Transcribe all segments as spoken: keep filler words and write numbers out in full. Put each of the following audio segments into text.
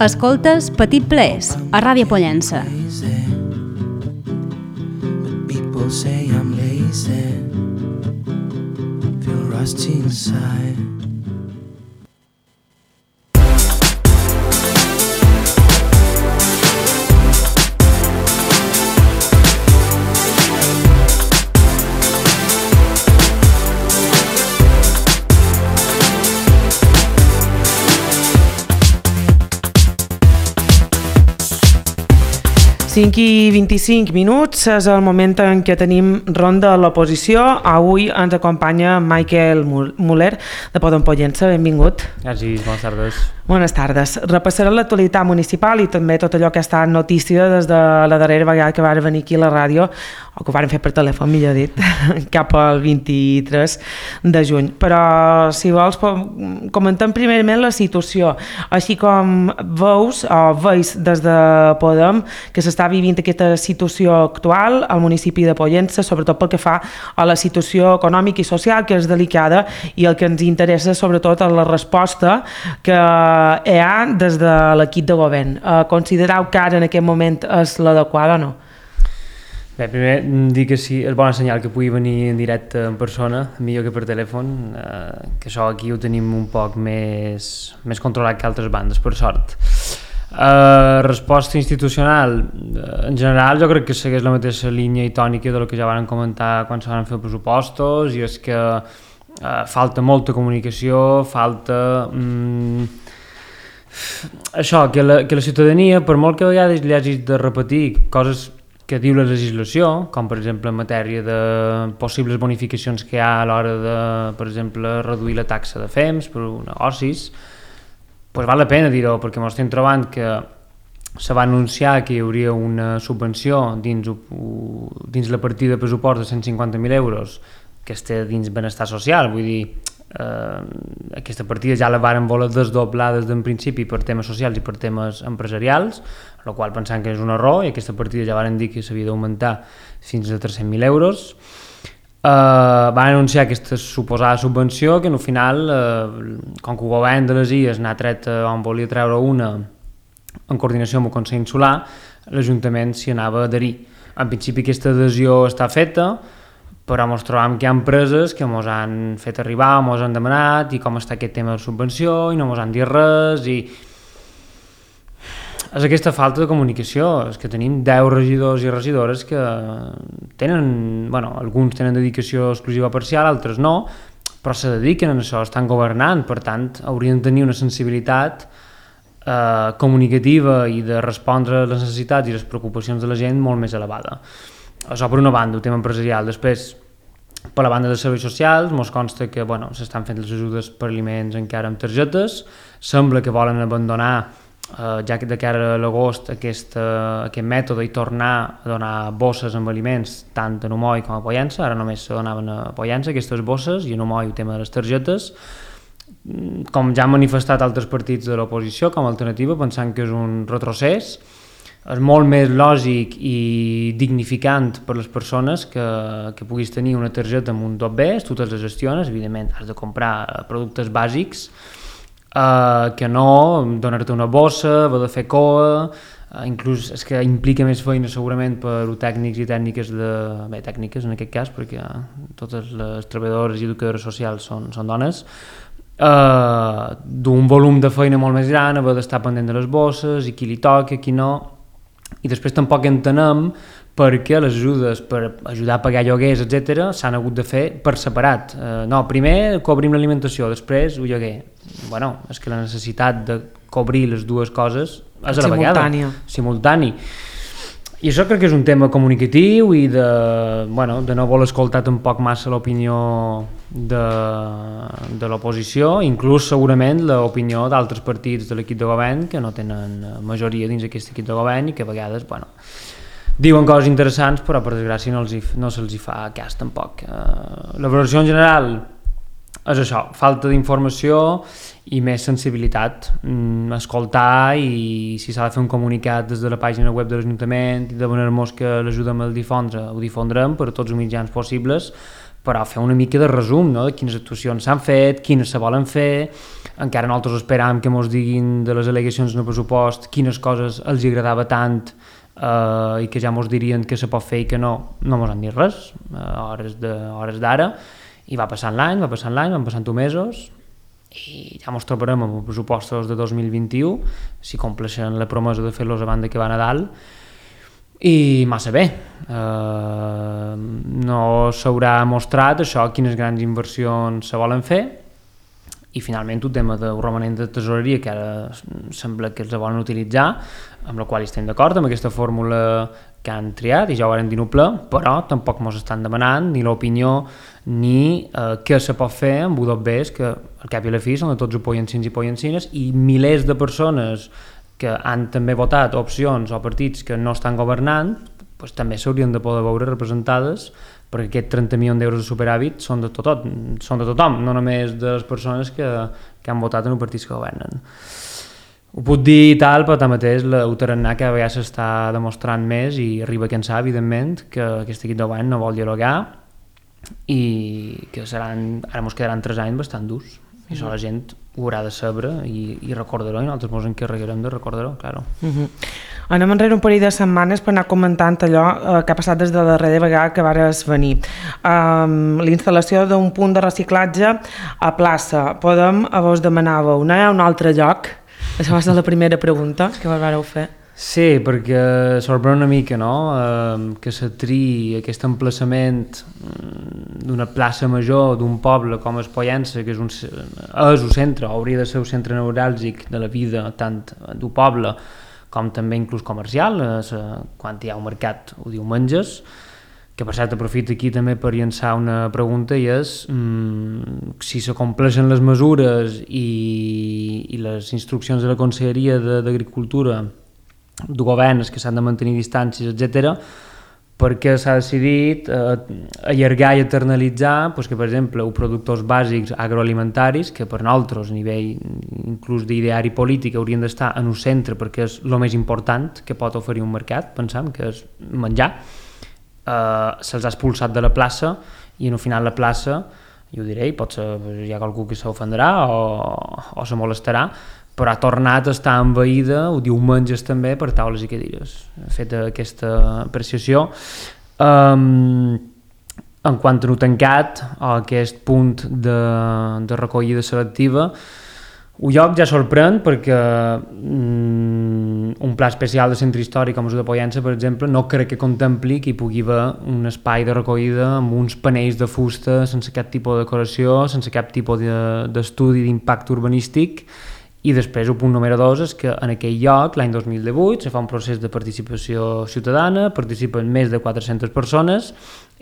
Escoltes Petit Plers, a Ràdio Pollença. People say I'm lazy, feel rusty inside. cinc i vint-i-cinc minuts és el moment en què tenim ronda a l'oposició. Avui ens acompanya Michael Muller, de Podem Pollença. Benvingut. Gràcies, bones tardes. Bones tardes. Repassarem l'actualitat municipal i també tot allò que ha estat notícia des de la darrera vegada que vam venir aquí a la ràdio, o que ho vam fer per telèfon, millor dit, cap al vint-i-tres de juny. Però, si vols, comentem primerament la situació. Així com veus, o veus des de Podem, que s'està vivint aquesta situació actual al municipi de Pollença, sobretot pel que fa a la situació econòmica i social, que és delicada, i el que ens interessa sobretot és la resposta que hi ha des de l'equip de govern. Considereu que ara en aquest moment és l'adequada o no? Bé, primer dir que sí, és bona senyal que pugui venir en directe en persona, millor que per telèfon, eh, que això aquí ho tenim un poc més, més controlat que altres bandes, per sort. Uh, resposta institucional, uh, en general jo crec que segueix la mateixa línia i tònica del que ja van comentar quan se van fer els pressupostos, i és que uh, falta molta comunicació, falta um, això, que la, que la ciutadania, per molt que a vegades li hagis de repetir coses que diu la legislació, com per exemple en matèria de possibles bonificacions que hi ha a l'hora de, per exemple, reduir la taxa de F E M S per negocis, pues val la pena dir-ho, perquè ens estem trobant que se va anunciar que hi hauria una subvenció dins, dins la partida de pressupost de cent cinquanta mil euros que està dins benestar social, vull dir, eh, aquesta partida ja la varen voler desdoblar des d'en principi per temes socials i per temes empresarials, el qual pensant que és un error, i aquesta partida ja varen dir que s'havia d'augmentar fins a tres-cents mil euros. Uh, van anunciar aquesta suposada subvenció que al final, uh, com que el govern de les Illes n'ha tret uh, on volia treure una en coordinació amb el Consell Insular, l'Ajuntament s'hi anava a adherir. En principi aquesta adhesió està feta, però ens trobam que hi ha empreses que ens han fet arribar, ens han demanat i com està aquest tema de subvenció i no ens han dit res, i és aquesta falta de comunicació. És que tenim deu regidors i regidores que tenen, bueno, alguns tenen dedicació exclusiva parcial, altres no, però se dediquen a això, estan governant, per tant haurien de tenir una sensibilitat eh, comunicativa i de respondre a les necessitats i les preocupacions de la gent molt més elevada. Això per una banda, el tema empresarial. Després, per la banda de serveis socials, ens consta que bueno, s'estan fent les ajudes per aliments encara amb targetes, sembla que volen abandonar Uh, ja que de cara a l'agost aquest, uh, aquest mètode i tornar a donar bosses amb aliments tant a Numoi com a Pollença. Ara només se donaven a Pollença aquestes bosses, i a Numoi el tema de les targetes, com ja han manifestat altres partits de l'oposició com a alternativa, pensant que és un retrocés. És molt més lògic i dignificant per les persones que, que puguis tenir una targeta amb un dot B, tu te'ls gestiones, evidentment has de comprar productes bàsics, Uh, que no donar-te una bossa, haver de fer coa, uh, inclús és que implica més feina segurament per tècnics i tècniques de... bé, tècniques en aquest cas, perquè uh, totes les treballadores i educadores socials són, són dones, uh, d'un volum de feina molt més gran, haver d'estar pendent de les bosses, i qui li toca, qui no, i després tampoc entenem perquè les ajudes per ajudar a pagar lloguers, etcètera, s'han hagut de fer per separat. Uh, no, primer cobrim l'alimentació, després el lloguer. Bueno, és que la necessitat de cobrir les dues coses és a la vegada. Simultani. I això crec que és un tema comunicatiu i de, bueno, de no voler escoltar tampoc massa l'opinió de, de l'oposició, inclús segurament l'opinió d'altres partits de l'equip de govern que no tenen majoria dins d'aquest equip de govern i que a vegades, bueno, diuen coses interessants però per desgràcia no, els hi, no se'ls hi fa cas tampoc. Uh, la valoració en general és això, falta d'informació i més sensibilitat, mm, escoltar, i si s'ha de fer un comunicat des de la pàgina web de l'Ajuntament i demanar-nos que l'ajudem a difondre, ho difondrem per tots els mitjans possibles, però fer una mica de resum, no?, de quines actuacions s'han fet, quines se volen fer. Encara nosaltres esperam que ens diguin de les al·legacions en el pressupost quines coses els agradava tant eh, i que ja ens dirien que se pot fer i que no, no ens han dit res, a hores de, hores d'ara, i va passant l'any, va passant l'any, van passant mesos, i ja ens trobarem amb els pressupostos de dos mil vint-i-u, si compleixen la promesa de fer-los abans que va a Nadal, i massa bé. Eh, no s'haurà mostrat això, quines grans inversions se volen fer, i finalment un tema de romanent de tesoreria que ara sembla que els volen utilitzar, amb la qual estem d'acord, amb aquesta fórmula que han triat, i ja ho varen dir ple, però tampoc ens estan demanant ni l'opinió ni eh, què se pot fer amb U dos Bs, que al cap i a la fi són de tots pollancins i pollancines, i milers de persones que han també votat opcions o partits que no estan governant, doncs també s'haurien de poder veure representades, perquè aquests trenta milions d'euros de superàvit són de, tot, són de tothom, no només de les persones que, que han votat en els partits que governen. Ho puc dir i tal, però tanmateix el tarannà que a vegades s'està demostrant més, i arriba a cansar, evidentment, que aquest equip de govern no vol dialogar i que seran, ara ens quedaran tres anys bastant durs. I això la gent ho haurà de saber i, i recordar-ho, i nosaltres ens encarregarem de recordar-ho, claro. Uh-huh. Anem enrere un parell de setmanes per anar comentant allò eh, que ha passat des de la darrera vegada que vares venir. Um, la instal·lació d'un punt de reciclatge a plaça. Podem, a vos demanàveu, no hi ha un altre lloc? Això va ser la primera pregunta que vos vareu fer. Sí, perquè sorprèn una mica, no?, eh, que se triï aquest emplaçament d'una plaça major d'un poble com es Pollença, que és un, és un centre, hauria de ser un centre neuràlgic de la vida tant d'un poble com també inclús comercial, eh, quan hi ha un mercat o diumenges, que per cert aprofito aquí també per llançar una pregunta, i és mmm, si se compleixen les mesures i, i les instruccions de la Conselleria d'Agricultura, de governs que s'han de mantenir distàncies, etcètera, perquè s'ha decidit eh, allargar i eternalitzar pues, que, per exemple, els productors bàsics agroalimentaris, que per nosaltres, a nivell inclús d'ideari polític, haurien d'estar en un centre perquè és el més important que pot oferir un mercat, pensam, que és menjar, eh, se'ls ha expulsat de la plaça, i al final la plaça, jo ho diré, potser hi ha qualcú que s'ofendrà o, o se molestarà, però ha tornat a estar envaïda, ho diumenges també, per taules i cadires. Feta aquesta apreciació. Um, en quant a no tancat, a aquest punt de, de recollida selectiva, el lloc ja sorprèn perquè um, un pla especial de centre històric com el de Pollença, per exemple, no crec que contempli que hi pugui haver un espai de recollida amb uns panells de fusta sense cap tipus de decoració, sense cap tipus d'estudi d'impacte urbanístic. I després el punt número dos és que en aquell lloc, l'any dos mil divuit, se fa un procés de participació ciutadana, participen més de quatre-centes persones,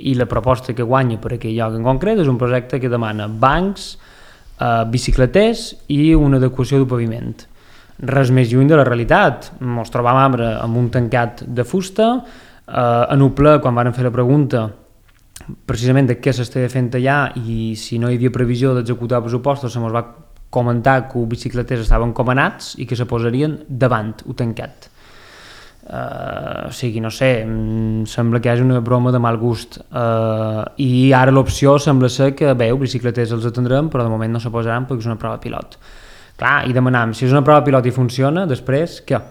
i la proposta que guanya per aquell lloc en concret és un projecte que demana bancs, eh, bicicleters i una adequació del paviment. Res més lluny de la realitat. Ens trobàvem ara amb un tancat de fusta, eh, en un ple, quan van fer la pregunta precisament de què s'estava fent allà i si no hi havia previsió d'executar pressupostos, se mos va comentar que els bicicleters estaven comanats i que se posarien davant el tancat. Uh, o sigui, no sé, sembla que hi hagi una broma de mal gust. Uh, I ara l'opció sembla ser que, bé, els bicicleters els atendrem, però de moment no se posaran perquè és una prova pilot. Clar, i demanam, si és una prova pilot i funciona, després, què?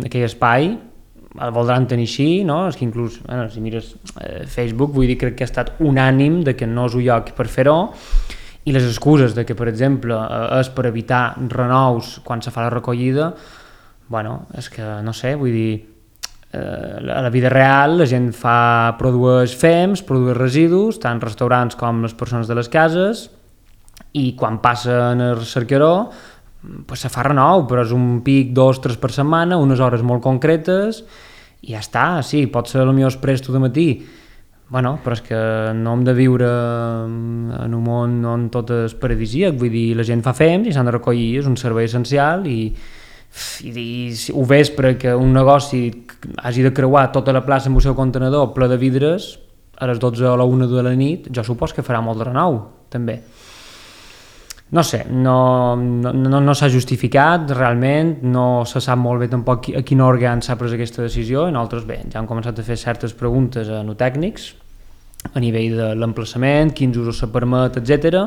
Aquell espai el voldran tenir així, no? És que inclús, bueno, si mires eh, Facebook, vull dir, crec que ha estat unànim de que no és un lloc per fer-ho, i les excuses de que, per exemple, és per evitar renous quan se fa la recollida, bueno, és que, no sé, vull dir, eh, a la vida real la gent fa, produeix fems, produeix residus, tant restaurants com les persones de les cases, i quan passen el cercaró, pues se fa renou, però és un pic, dos, tres per setmana, unes hores molt concretes, i ja està, sí, pot ser el millor exprés tot de matí, bueno, però és que no hem de viure en un món on tot és paradisíac, vull dir, la gent fa fems i s'han de recollir, és un servei essencial, i, i, i ho vespre que un negoci hagi de creuar tota la plaça amb el seu contenedor ple de vidres a les dotze o la una de la nit, jo supos que farà molt de renou, també. no sé, no, no, no, no s'ha justificat realment, no se sap molt bé tampoc a quin òrgan s'ha pres aquesta decisió, i nosaltres bé, ja hem començat a fer certes preguntes a no tècnics a nivell de l'emplaçament, quins usos se permet, etcètera,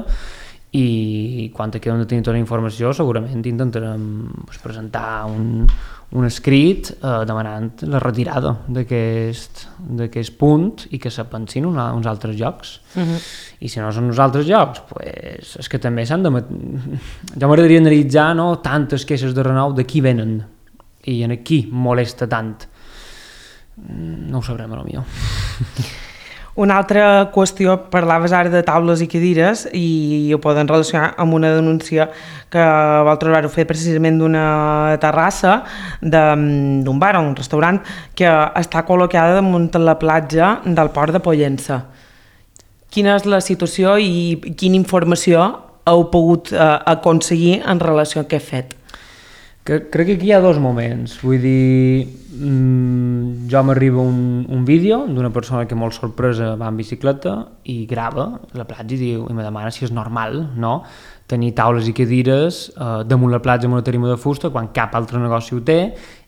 i quan acabem de tenir tota la informació segurament intentarem pues, presentar un, un escrit eh, demanant la retirada d'aquest punt i que se pensin una, uns altres llocs. Uh-huh. I si no són uns altres llocs, pues, és que també s'han de... Ja m'agradaria analitzar, no, tantes queixes de renou de qui venen i en qui molesta tant. No ho sabrem, a lo millor. Una altra qüestió, parlaves ara de taules i cadires i ho poden relacionar amb una denúncia que vosaltres vau fer precisament d'una terrassa d'un bar o un restaurant que està col·locada damunt la platja del port de Pollença. Quina és la situació i quina informació heu pogut eh, aconseguir en relació a aquest fet? Que, crec que aquí hi ha dos moments, vull dir, mmm, jo m'arriba un, un vídeo d'una persona que molt sorpresa va en bicicleta i grava la platja i diu, i me demana si és normal, no?, tenir taules i cadires eh, damunt la platja amb una tarima de fusta quan cap altre negoci ho té,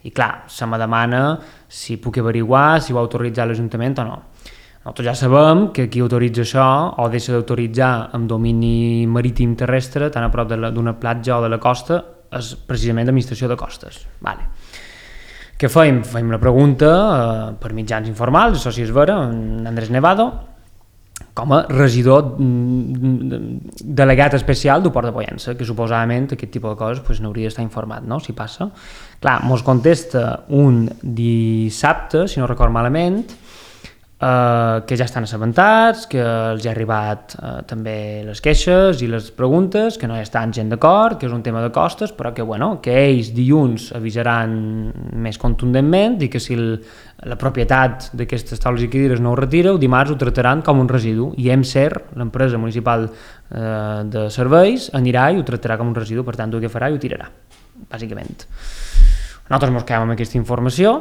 i clar, se me demana si puc averiguar, si ho ha autoritzat l'Ajuntament o no. Nosaltres ja sabem que qui autoritza això o deixa d'autoritzar amb domini marítim terrestre tan a prop d'una platja o de la costa és precisament l'administració de costes. Vale. Què fem? Fem una pregunta eh, per mitjans informals, això sí és vera, en Andrés Nevado, com a regidor delegat especial del Port de Pollença, que suposadament aquest tipus de coses pues, n'hauria d'estar informat, no?, si passa. Clar, mos contesta un dissabte, si no record malament, Uh, que ja estan assabentats, que els ha arribat uh, també les queixes i les preguntes, que no hi estan gent d'acord, que és un tema de costes, però que, bueno, que ells dilluns avisaran més contundentment i que si el, la propietat d'aquestes taules i cadires no ho retira, el dimarts ho trataran com un residu i EMSER, l'empresa municipal uh, de serveis, anirà i ho tractarà com un residu, per tant ho agafarà i ho tirarà, bàsicament. Nosaltres mos quedem amb aquesta informació,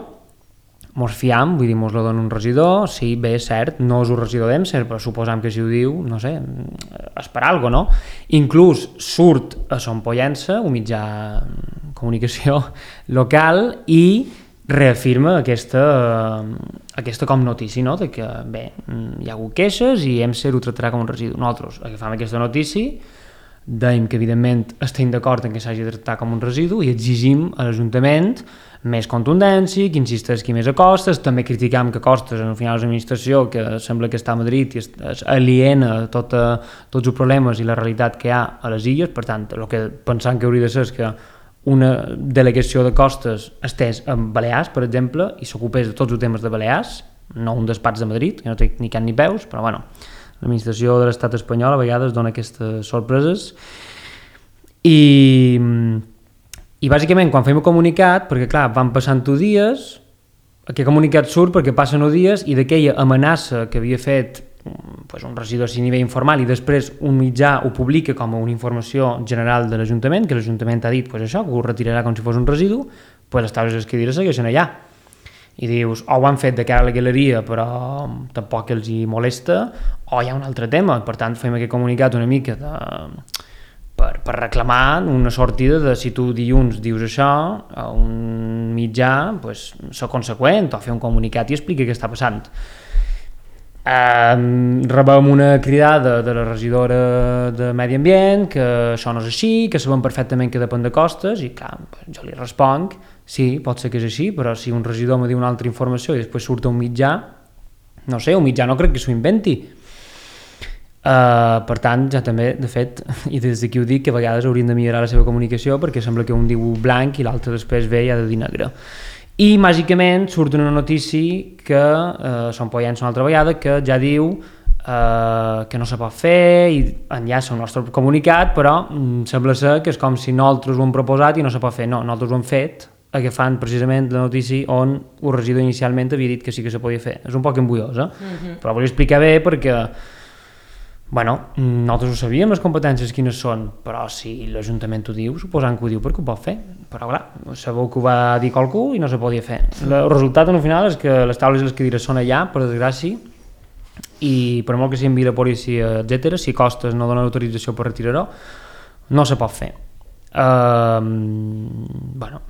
mos fiam, vull dir, mos la dona un regidor, sí, bé, cert, no és un regidor d'EMSER, però suposam que si ho diu, no sé, és per alguna cosa, no? Inclús surt a Son Pollença, un mitjà de comunicació local, i reafirma aquesta, aquesta com notícia, no?, de que, bé, hi ha hagut queixes i EMSER ho tractarà com un residu. Nosaltres agafam aquesta notícia, dèiem que, evidentment, estem d'acord en que s'hagi de tractar com un residu i exigim a l'Ajuntament més contundència, que insisteixi més a Costes, també criticam que Costes, en el final, és una administració que sembla que està a Madrid i és aliena a tota, tots els problemes i la realitat que hi ha a les illes, per tant, el que pensam que hauria de ser és que una delegació de Costes estés en Balears, per exemple, i s'ocupés de tots els temes de Balears, no un despatx de Madrid, que no té ni can ni peus, però bueno, l'administració de l'estat espanyol a vegades dona aquestes sorpreses. I... I bàsicament, quan fem el comunicat, perquè clar, van passant dies, aquest comunicat surt perquè passen dies i d'aquella amenaça que havia fet pues, un regidor a nivell informal i després un mitjà ho publica com a una informació general de l'Ajuntament, que l'Ajuntament ha dit pues, això, que ho retirarà com si fos un residu, pues, les taules i les cadires segueixen allà. I dius, o ho han fet de cara a la galeria però tampoc els hi molesta, o hi ha un altre tema, per tant fem aquest comunicat una mica de... Per, per reclamar una sortida de si tu dilluns dius això a un mitjà, pues, ser conseqüent o fer un comunicat i explicar què està passant. Um, rebem una cridada de la regidora de Medi Ambient que això no és així, que sabem perfectament que depèn de Costes i clar, jo li responc, sí, pot ser que és així, però si un regidor me diu una altra informació i després surt un mitjà, no sé, un mitjà no crec que s'ho inventi. Uh, per tant, ja també, de fet, i des d'aquí ho dic, que a vegades haurien de millorar la seva comunicació perquè sembla que un diu blanc i l'altre després ve i ha de dir negre. I màgicament surt una notícia que uh, Son Pollença una altra vegada que ja diu uh, que no se pot fer i enllaça el nostre comunicat, però um, sembla ser que és com si nosaltres ho hem proposat i no se pot fer. No, nosaltres ho hem fet agafant precisament la notícia on el regidor inicialment havia dit que sí que se podia fer. És un poc embullosa, mm-hmm. però volia explicar bé perquè bueno, nosaltres ho sabíem, les competències quines són, però si l'Ajuntament ho diu, suposant que ho diu perquè ho pot fer. Però clar, sabeu que ho va dir qualcú i no se podia fer. El resultat, al final, és que les taules i les cadires són allà, per desgràcia, i per molt que s'enviï la policia, etcètera, si Costes no dona l'autorització per retirar-ho, no se pot fer. Uh, bueno,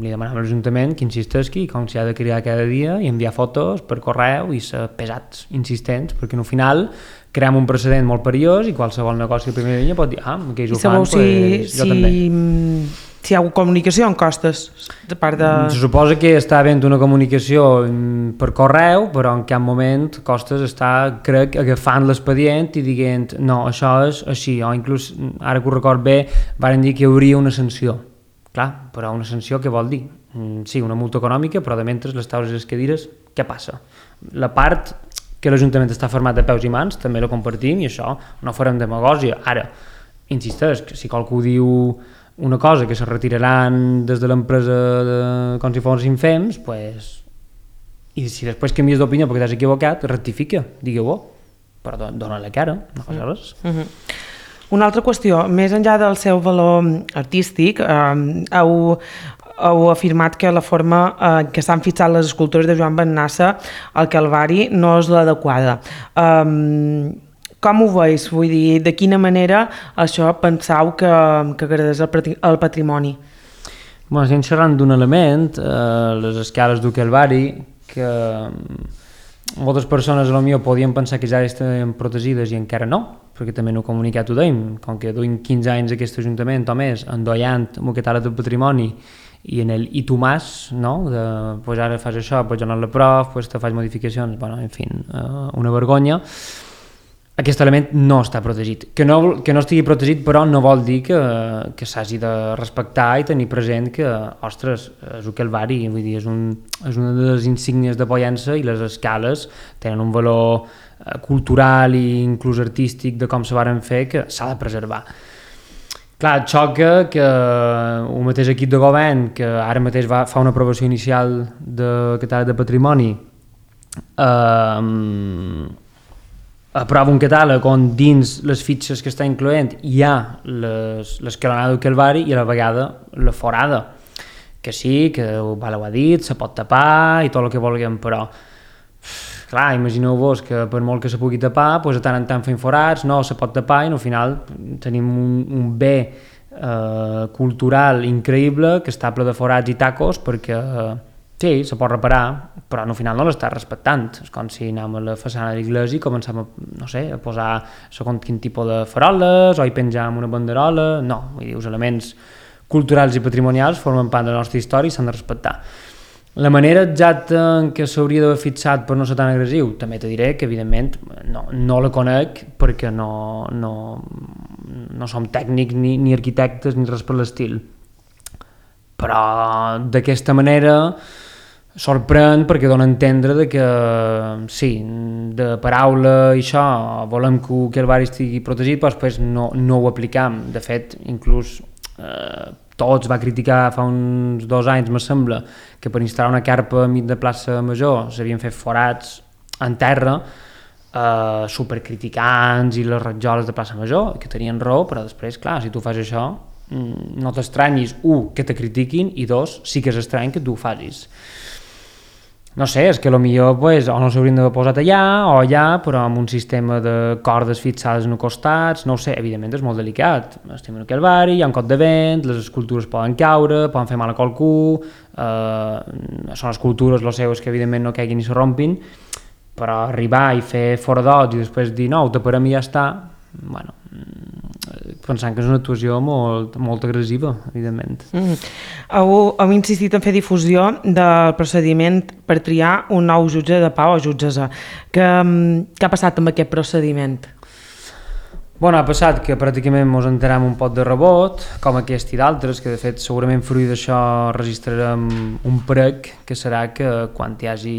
li demanàvem a l'Ajuntament que insistesqui com s'ha de crear cada dia i enviar fotos per correu i ser pesats, insistents, perquè al final creem un precedent molt perillós i qualsevol negoci de primera línia pot dir ah, que ells ho fan, si, pues, jo si, també. Si hi ha comunicació en costes de part de... Se suposa que està havent una comunicació per correu, però en cap moment Costes està, crec, agafant l'expedient i dient no, això és així, o inclús, ara que ho record bé, varen dir que hi hauria una sanció. Clar, però una sanció què vol dir? Sí, una multa econòmica, però de mentre les taules i les cadires, què passa? La part que l'Ajuntament està format de peus i mans, també la compartim i això no farem demagògia. Ara, insisteix, que si qualcú diu una cosa que se retiraran des de l'empresa de, com si fossin fems, pues, i si després canvies d'opinió perquè t'has equivocat, rectifica, digue-ho, però don, dona la cara, no fas res. Mm-hmm. Una altra qüestió, més enllà del seu valor artístic, eh, heu, heu afirmat que la forma en eh, què s'han fixat les escultures de Joan Bennassa al Calvari no és l'adequada. Eh, Com ho veus? Vull dir, de quina manera això penseu que, que agradés el patrimoni? Bueno, estem xerrant d'un element, eh, les escales del Calvari, que moltes persones potser podien pensar que ja estan protegides i encara no, perquè també no he comunicat ho deim, com que duim quinze anys aquest Ajuntament o més endollant amb aquest àrea del patrimoni i en el i tu mas, no? De, pues ara fas això, pues jo no la prof, pues te faig modificacions, bueno, en fi, eh, una vergonya. Aquest element no està protegit. Que no, que no estigui protegit, però, no vol dir que, que s'hagi de respectar i tenir present que, ostres, és el Calvari, vull dir, és, un, és una de les insígnies de Pollença i les escales tenen un valor eh, cultural i inclús artístic de com se varen fer que s'ha de preservar. Clar, et xoca que el mateix equip de govern, que ara mateix va, fa una aprovació inicial d'aquest àrea de patrimoni, eh, aprova un catàleg on dins les fitxes que està incloent hi ha l'escalonada del Calvari i a la vegada la forada, que sí, que Val ho ha dit, se pot tapar i tot el que vulguem, però clar, imagineu-vos que per molt que se pugui tapar, doncs de tant en tant fem forats, no se pot tapar i al final tenim un, un bé eh, cultural increïble que està ple de forats i tacos perquè eh, sí, se pot reparar, però al final no l'està respectant. És com si anem a la façana de l'església i comencem a, no sé, a posar segons quin tipus de faroles o hi penjam una banderola. No, vull dir, els elements culturals i patrimonials formen part de la nostra història i s'han de respectar. La manera exacta en què s'hauria d'haver fixat per no ser tan agressiu, també te diré que evidentment no, no la conec perquè no, no, no som tècnics ni, ni arquitectes ni res per l'estil. Però d'aquesta manera sorprèn perquè dona a entendre de que sí, de paraula i això, volem que el Calvari estigui protegit, però després no, no ho aplicam. De fet, inclús eh, tots va criticar fa uns dos anys, me sembla, que per instal·lar una carpa enmig de plaça Major s'havien fet forats en terra, eh, supercriticants i les ratjoles de plaça Major, que tenien raó, però després, clar, si tu fas això, no t'estranyis, un, que te critiquin, i dos, sí que és estrany que tu ho facis. No sé, és que potser pues, o no s'haurien d'haver posat allà o allà, però amb un sistema de cordes fixades en els costats, no ho sé, evidentment és molt delicat. Estem en el Calvari, hi ha un cop de vent, les escultures poden caure, poden fer mal a qualcú, eh, són escultures, lo seu és que evidentment no caiguin ni se rompin, però arribar i fer foradot i després dir no, ho taparem i ja està, bueno, pensant que és una actuació molt, molt agressiva, evidentment. Mm. Heu, heu insistit en fer difusió del procediment per triar un nou jutge de pau o jutgessa. Què, què ha passat amb aquest procediment? Bueno, ha passat que pràcticament ens enterem un pot de rebot, com aquest i d'altres, que de fet segurament fruit d'això registrarem un prec, que serà que quan hi hagi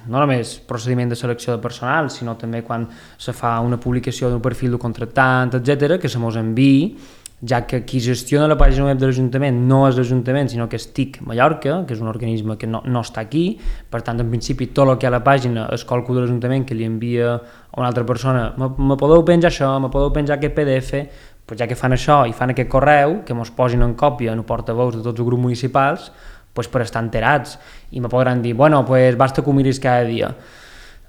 no només procediment de selecció de personal, sinó també quan se fa una publicació d'un perfil de contractant, etcètera, que se mos enviï, ja que qui gestiona la pàgina web de l'Ajuntament no és l'Ajuntament, sinó que és T I C Mallorca, que és un organisme que no, no està aquí, per tant, en principi, tot el que hi ha a la pàgina és qualcú de l'Ajuntament que li envia a una altra persona, me, me podeu penjar això, me podeu penjar aquest P D F, pues ja que fan això i fan aquest correu, que mos posin en còpia en el portaveus de tots els grups municipals, pues per estar enterats, i me podran dir, bueno, pues basta que ho miris cada dia.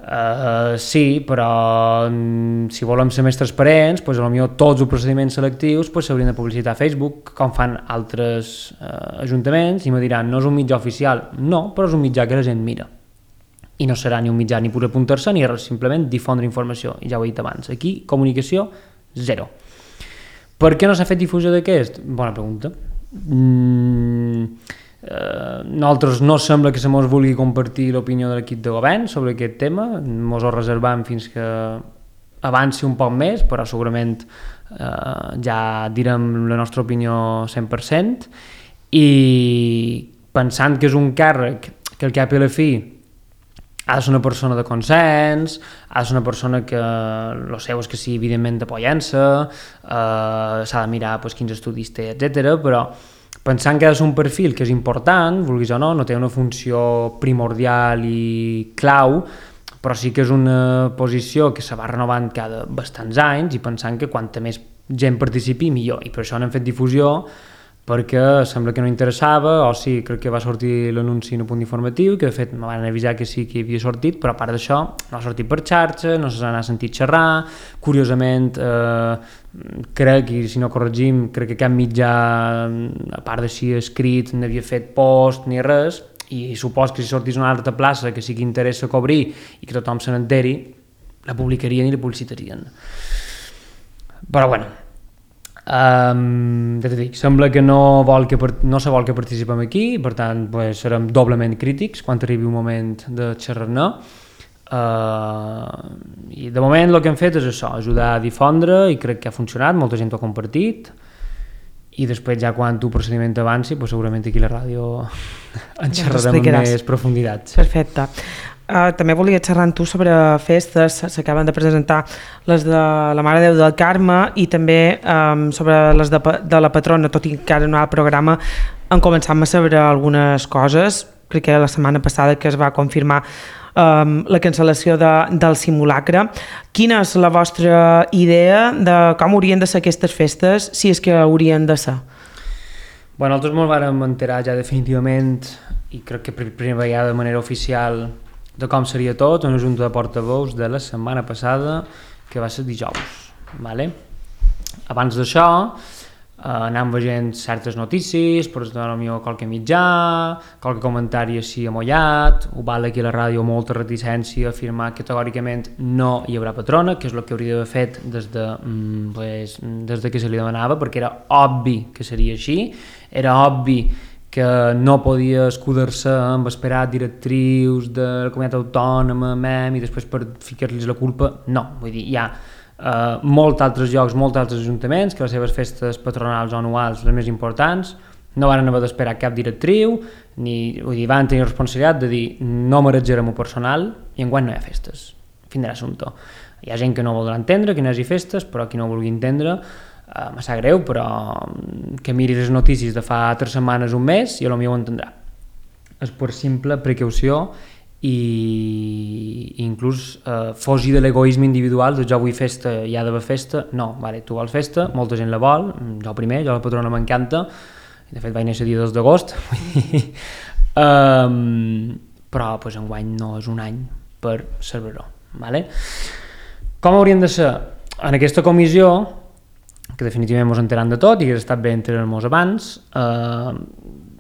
Uh, sí, però mm, si volem ser més transparents, pues, potser tots els procediments selectius pues, s'haurien de publicitar a Facebook, com fan altres uh, ajuntaments, i me diran, no és un mitjà oficial. No, però és un mitjà que la gent mira. I no serà ni un mitjà ni per apuntar-se ni res, simplement difondre informació. I ja ho he dit abans, aquí comunicació zero. Per què no s'ha fet difusió d'aquest? Bona pregunta. Mm... Uh, nosaltres no sembla que se mos vulgui compartir l'opinió de l'equip de govern sobre aquest tema, mos ho reservam fins que avanci un poc més, però segurament uh, ja direm la nostra opinió cent per cent, i pensant que és un càrrec que al cap i a la fi ha de ser una persona de consens, ha de ser una persona que el seu és que sí, evidentment, d'apoyança, uh, s'ha de mirar pues, quins estudis té, etcètera, però pensant que ha de ser un perfil que és important, vulguis o no, no té una funció primordial i clau, però sí que és una posició que se va renovant cada bastants anys i pensant que quanta més gent participi millor, i per això n'hem fet difusió, perquè sembla que no interessava, o sí, crec que va sortir l'anunci en un punt informatiu, que de fet me van avisar que sí que havia sortit, però a part d'això no ha sortit per xarxa, no se n'ha sentit xerrar, curiosament eh, crec, i si no corregim, crec que cap mitjà, a part de si escrit, n'havia fet post ni res, i supos que si sortís una altra plaça que sí que interessa cobrir i que tothom se n'enteri, la publicarien i la publicitarien. Però bueno, Um, ja t'he dit, sembla que no, vol que no se vol que participem aquí, per tant pues, serem doblement crítics quan arribi un moment de xerrar-ne, uh, i de moment el que hem fet és això, ajudar a difondre, i crec que ha funcionat, molta gent ho ha compartit, i després ja quan tu procediment avanci pues, segurament aquí a la ràdio en xerrarem amb més profunditat. Perfecte. Uh, també volia xerrar amb tu sobre festes, s'acaben de presentar les de la Mare de Déu del Carme i també um, sobre les de, de la patrona, tot i que ara no hi ha programa, en començam a saber algunes coses. Crec que la setmana passada que es va confirmar um, la cancel·lació de, del simulacre. Quina és la vostra idea de com haurien de ser aquestes festes, si és que haurien de ser? Bueno, nosaltres ens vam enterar ja definitivament, i crec que per primera vegada de manera oficial, de com seria tot, una junta de portaveus de la setmana passada, que va ser dijous. Vale? Abans d'això, eh, anàvem veient certes notícies, per exemple, qualque mitjà, qualque comentari així amollat, ho val aquí a la ràdio molta reticència a afirmar que categòricament no hi haurà patrona, que és el que hauria d'haver fet des de, mm, pues, des de que se li demanava, perquè era obvi que seria així, era obvi que no podia escudar-se amb esperar directrius de la comunitat autònoma, M E M, i després per ficar-los la culpa. No, vull dir, hi ha eh, molts altres llocs, molts altres ajuntaments que les seves festes patronals o anuals, les més importants, no van haver d'esperar cap directriu, ni, vull dir, van tenir responsabilitat de dir no marejarem el personal i enguany no hi ha festes. Fin de l'assumpte. Hi ha gent que no voldrà entendre que no hi hagi festes, però qui no vulgui entendre, Uh, me sap greu, però que miri les notícies de fa tres setmanes, un mes, i potser ho entendrà. És per simple precaució i, i inclús uh, fogi de l'egoisme individual de jo vull festa, hi ha d'haver festa. No, vale, tu vols festa, molta gent la vol, jo primer, jo la patrona m'encanta, de fet vaig néixer dia dos d'agost, um, però pues, enguany no és un any per celebrar-ho. Vale? Com haurien de ser? En aquesta comissió, que definitivament ens enteram de tot i que ha estat bé enterar-nos abans, eh,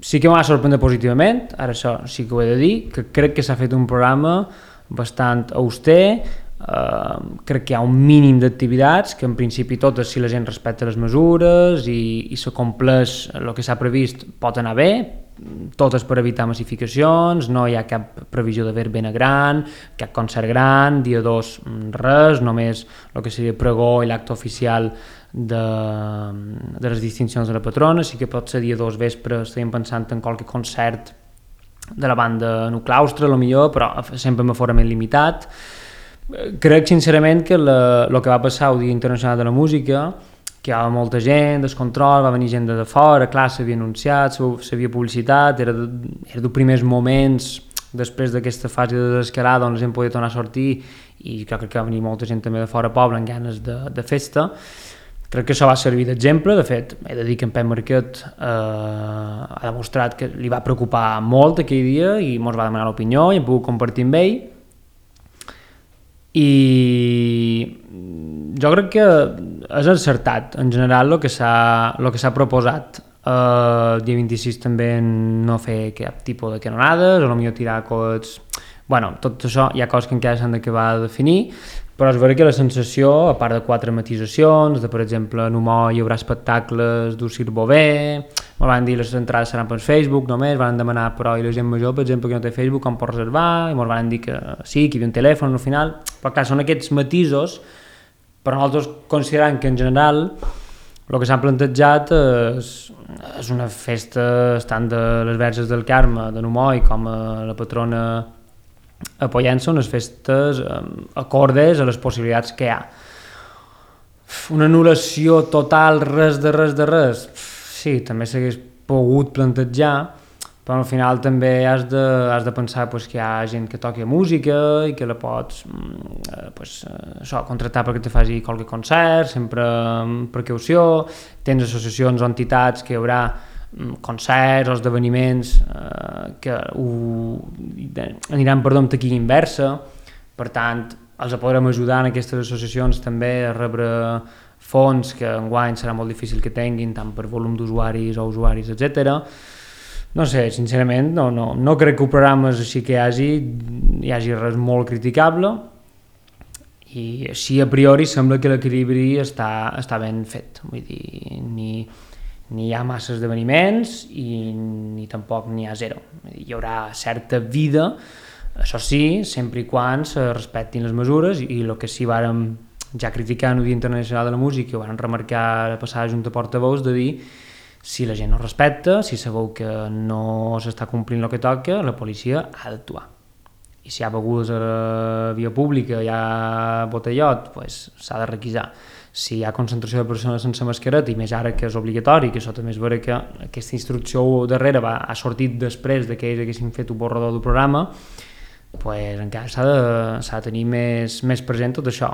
sí que m'ha sorprès positivament, ara això sí que ho he de dir, que crec que s'ha fet un programa bastant auster, eh, crec que hi ha un mínim d'activitats, que en principi totes, si la gent respecta les mesures i, i se compleix el que s'ha previst, pot anar bé, totes per evitar massificacions, no hi ha cap previsió de verbena gran, cap concert gran, dia dos res, només el que seria pregó i l'acte oficial de, de les distincions de la patrona. Sí que pot ser dia dos vespre, estàvem pensant en qualque concert de la banda Nuclaustre, millor, però sempre amb aforament limitat. Crec sincerament que el que va passar el Dia Internacional de la Música, que hi havia molta gent, descontrol, va venir gent de fora, clar, s'havia anunciat, s'havia publicitat, era, de, era dels primers moments després d'aquesta fase de desescalada on la gent podia tornar a sortir, i crec que va venir molta gent també de fora poble amb ganes de, de festa. Crec que això va servir d'exemple. De fet, he de dir que en Pep Marquet eh, ha demostrat que li va preocupar molt aquell dia i ens va demanar l'opinió i hem pogut compartir amb ell. i jo crec que és encertat en general el que s'ha el que s'ha proposat. Uh, el dia vint-i-sis també no fer cap tipus de canonades, o potser tirar coets... Bueno, tot això hi ha coses que encara s'han d'acabar de definir, però és vera que la sensació, a part de quatre matisacions, de per exemple en Humor hi haurà espectacles d'Ucir Bové, ens van dir les entrades seran per Facebook només, van demanar però i la gent major, per exemple, que no té Facebook, com pot reservar, i ens van dir que sí, que hi havia un telèfon al final, però clar, són aquests matisos, però nosaltres considerant que en general el que s'han plantejat és, és una festa tant de les Verges del Carme, de Numoi, com a la patrona a Pollença, unes festes eh, acordes a les possibilitats que hi ha. Una anul·lació total, res de res de res, sí, també s'hagués pogut plantejar, però al final també has de, has de pensar pues, que hi ha gent que toqui música i que la pots eh, pues, eh, això, contractar perquè te faci qualque concert, sempre amb precaució, tens associacions o entitats que hi haurà concerts o esdeveniments eh, que ho, aniran per amb taquilla inversa, per tant els podrem ajudar en aquestes associacions també a rebre fons que enguany serà molt difícil que tinguin tant per volum d'usuaris o usuaris, etcètera. No sé, sincerament, no, no, no crec que ho programes així que hi hagi, hi hagi res molt criticable i així a priori sembla que l'equilibri està, està ben fet, vull dir, ni, ni hi ha massa esdeveniments i ni tampoc n'hi ha zero. Vull dir, hi haurà certa vida, això sí, sempre i quan se respectin les mesures i el que sí vàrem ja criticar en el Dia Internacional de la Música, ho vàrem remarcar a passar a Junta Portaveus de dir si la gent no respecta, si sabeu que no s'està complint el que toca, la policia ha d'actuar. I si hi ha begudes a la via pública, hi ha botellot, pues, s'ha de requisar. Si hi ha concentració de persones sense mascareta, i més ara que és obligatori, que això també és vera que aquesta instrucció darrere va, ha sortit després de que ells haguessin fet un borrador del programa, pues, encara s'ha de, s'ha de tenir més, més present tot això.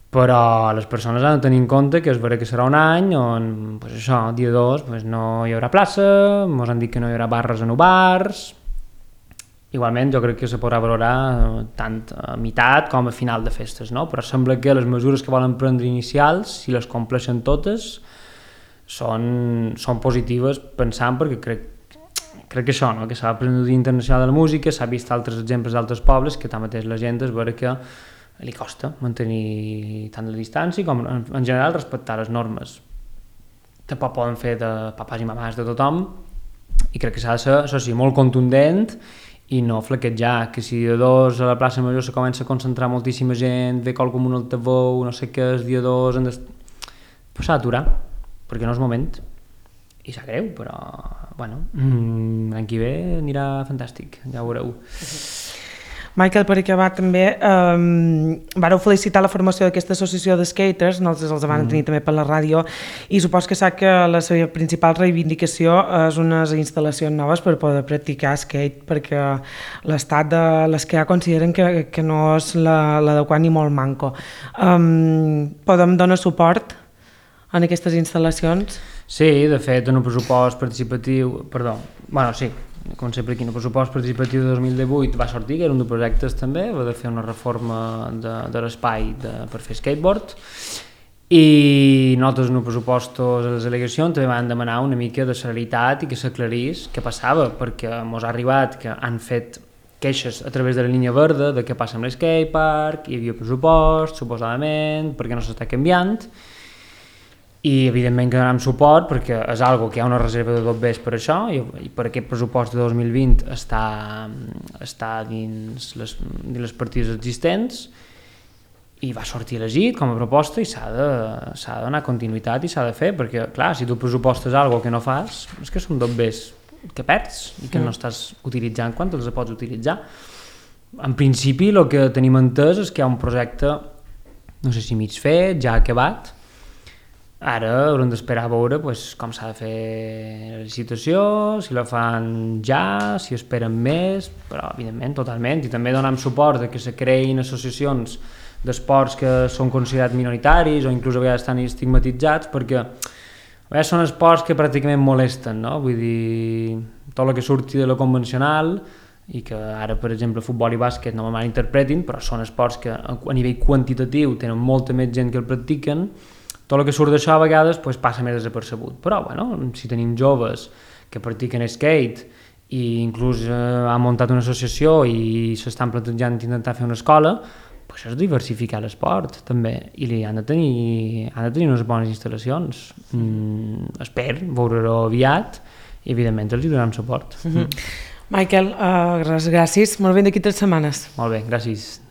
Però les persones han de tenir en compte que és vera que serà un any on, pues això, dia dos, pues no hi haurà plaça, ens han dit que no hi haurà barres en bars. Igualment jo crec que se podrà valorar tant a meitat com a final de festes, no? Però sembla que les mesures que volen prendre inicials, si les compleixen totes, són, són positives pensant perquè crec, crec que això, no? Que s'ha après el Dia Internacional de la Música, s'ha vist altres exemples d'altres pobles que tanmateix la gent és vera que li costa mantenir tant la distància com en, en general respectar les normes. Tampoc poden fer de papàs i mamàs de tothom i crec que s'ha de ser, això sí, molt contundent i no flaquejar, que si dia dos a la plaça Major se comença a concentrar moltíssima gent, ve qualcú amb un altaveu, no sé què, és dia dos, han de... pues s'ha d'aturar, perquè no és moment. I sap greu, però, bueno, mm, l'any que ve anirà fantàstic, ja ho veureu. Michael, per acabar també, eh, vareu felicitar la formació d'aquesta associació de skaters, nosaltres els van tenir mm. també per la ràdio, i supos que sap que la seva principal reivindicació és unes instal·lacions noves per poder practicar skate, perquè l'estat de les que ja consideren que, que no és l'adequat ni molt manco. Um, podem donar suport en aquestes instal·lacions? Sí, de fet, en un pressupost participatiu, perdó, bueno, sí, com sempre aquí, en el pressupost participatiu de dos mil divuit va sortir, que era un dels projectes també, va de fer una reforma de, de l'espai per fer skateboard, i nosaltres en els pressupostos de les delegacions també van demanar una mica de celeritat i que s'aclarís què passava, perquè ens ha arribat que han fet queixes a través de la línia verda de què passa amb l'skatepark, hi havia pressupost, suposadament, perquè no s'està canviant, i evidentment que donarem suport perquè és algo que hi ha una reserva de dobbers per això i, i per aquest pressupost de dos mil vint està, està dins, les, dins les partides existents i va sortir elegit com a proposta i s'ha de, s'ha de donar continuïtat i s'ha de fer perquè clar, si tu pressupostes algo que no fas és que són dobbers que perds i que mm. no estàs utilitzant quan els pots utilitzar. En principi el que tenim entès és que hi ha un projecte no sé si mig fet, ja acabat. Ara haurem d'esperar a veure pues, com s'ha de fer la licitació, si la fan ja, si esperen més, però evidentment totalment, i també donem suport a que se creïn associacions d'esports que són considerats minoritaris o inclús a vegades estan estigmatitzats perquè a vegades són esports que pràcticament molesten, no? Vull dir, tot el que surti de lo convencional i que ara, per exemple, futbol i bàsquet no me malinterpretin, però són esports que a nivell quantitatiu tenen molta més gent que el practiquen. Tot el que surt d'això a vegades pues, passa més desapercebut, però bueno, si tenim joves que practiquen skate i inclús eh, han muntat una associació i s'estan plantejant intentar fer una escola, pues és diversificar l'esport també, i li han de tenir, han de tenir unes bones instal·lacions. Mm, espero veure-ho aviat i evidentment els hi donem suport. Mm-hmm. Michael, uh, gràcies, molt bé d'aquí tres setmanes. Molt bé, gràcies.